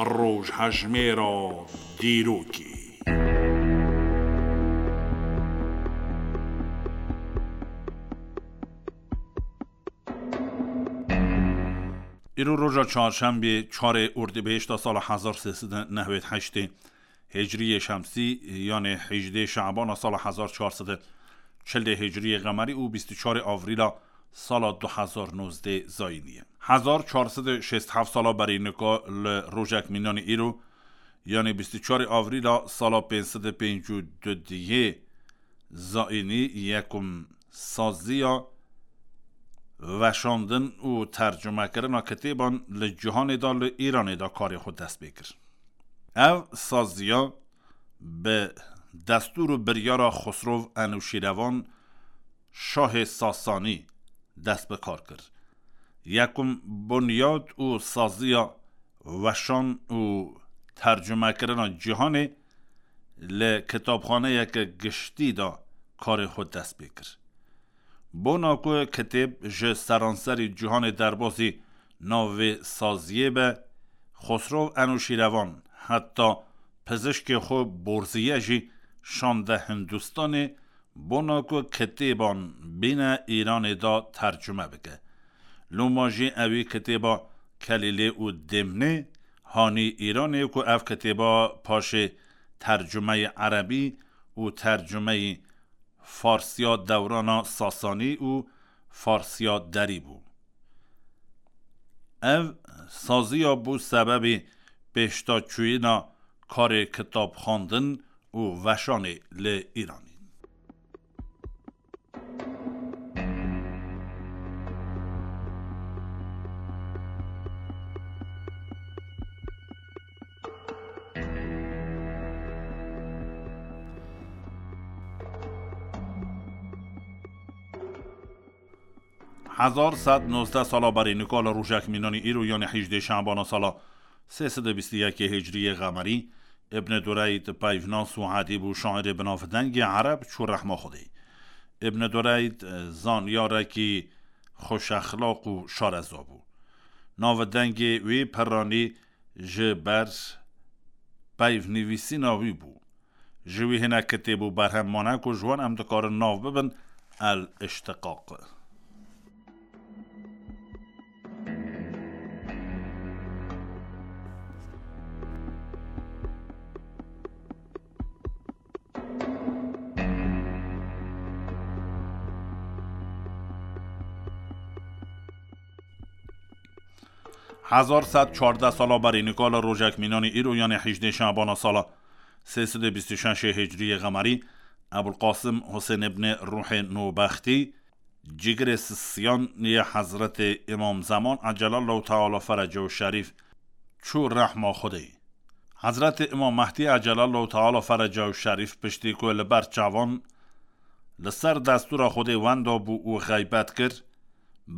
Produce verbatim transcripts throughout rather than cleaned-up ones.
Rojhejmêra dîrokê. Îro roja çarşembê, çarê Ordîbehişta sala hezar sê sed û newêd heştê Hicriyê Şemsî, yanê hejdê Şabana sala hezar çar sed û çil Hicriyê Qemerî û bîst û çarê Avrîla sala du hezar nozdeh Zayînî ye. Hezar çar sed û şêst heft sala berî nika li rojek mînanî îro, yanê bîst û çarê Avrîla sala pênc sed û pêncî û du dihê Zayînî, yekum saziya weşandin û tercumekirina kitêban li cîhanê de, li Îranê de karê xwe dest pê kir. Ev saziya bi destûr û biryara Xusrov Enûşîrevan, şahê Sasanî, dest bi kar kir. Yekum bunyad û saziya weşan û tercumekirina cîhanê li kitabxaneyeke giştî de karê xwe dest pê kir. Bona ku kitêb ji seranserî cîhanê derbasî nav vê saziyê be, Xosrov Enûşîrevan heta pizişkê xwe Borziye jî şande Hindistanê, bona ku kitêban bîne Îranê de tercume bike. Loma jî ewî kitêba Kelîlê û Dêmnê, hanî Îranê, ku ev kitêba paşê tercumeyê erebî û tercumeyî farsiya dewrana Sasanî û farsiya derî bû. Ev saziya bû sebebê pêşdaçûyîna karê kitab xwendin û weşanê li Îranê. Hezar sed nozdeh sala berî nika li rojek mînanî îro, yanî hejdê Şabana sala sê sed û bîst û yekê Hicriyê Qemerî, Ibn Dureyd peyvnas û edîb û şairê binavdengê ereb çû rehma Xwedê. Ibn Dureyd, e, zanyarekî xweşexlaq û şareza bû. Navdengê wî piranî ji ber peyvnivîsîna wî bû. Ji wî hinek kitêb û berhem mane ku ji wan em dikarin nav bibin El Îştiqaq. Hezar sed çardeh sala berî nika li rojek mînanî îro, yanê hejdê Şabana sala sê sed û bîst û şeş Hicriyê Qemerî, Ebulqasim Husên ibnê Ruhê Nûbextî, cigirê sisiyan yê Hezretê Îmam Zeman, Ecelallahu Teala Ferecehu Şerîf, çû rehma Xwedê. Hezretê Îmam Mehdî, Ecelallahu Teala Ferecehu Şerîf, piştî ku li ber çavan li ser destûra Xwedê wenda bû û xeybet kir,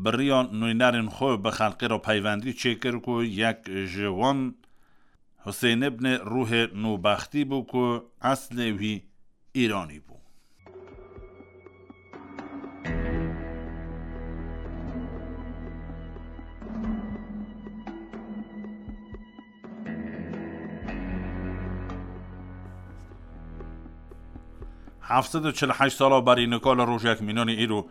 bi riya nûnerên xwe bi xelkê re peywendî çêkir ku yek ji wan Husên ibnê Ruhê Nûbextî bû ku eslê wî Îranî bû. Heft sed û çil û heşt sala berî nika li rojek mînanî îro,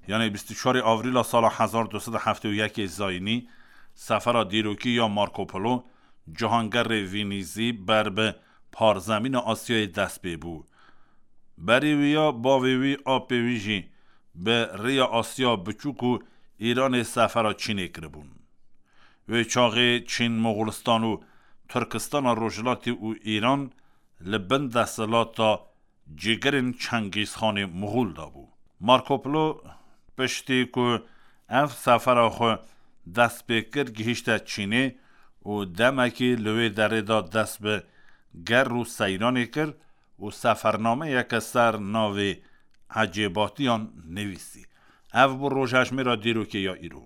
yanê bîst û çarê Avrîla sala hezar du sed û heftê û yekê Zayînî, sefera dîrokî ya Marco Polo, cihangerê Vînîzî, ber bi parzemîna Asyayê dest pê bû. Berî wî ya bavê wî, apê wî jî bi rêya Asya Biçûk û Îranê sefera Çînê kiribûn. Wê çaxê Çîn, Moxulistan û Tirkistana Rojhilatî û Îran li bin desthilata cîgirên Çengîzxanê Moxûl de bû. Marco Polo piştî ku ev sefera xwe dest pê kir, gihîşte Çînê û demekî li wê derê de dest bi ger û seyranê kir û sefernameyeke ser navê Ecêbatiyan nivîsî. Ev bû rojhejmêra dîrokê ya îro.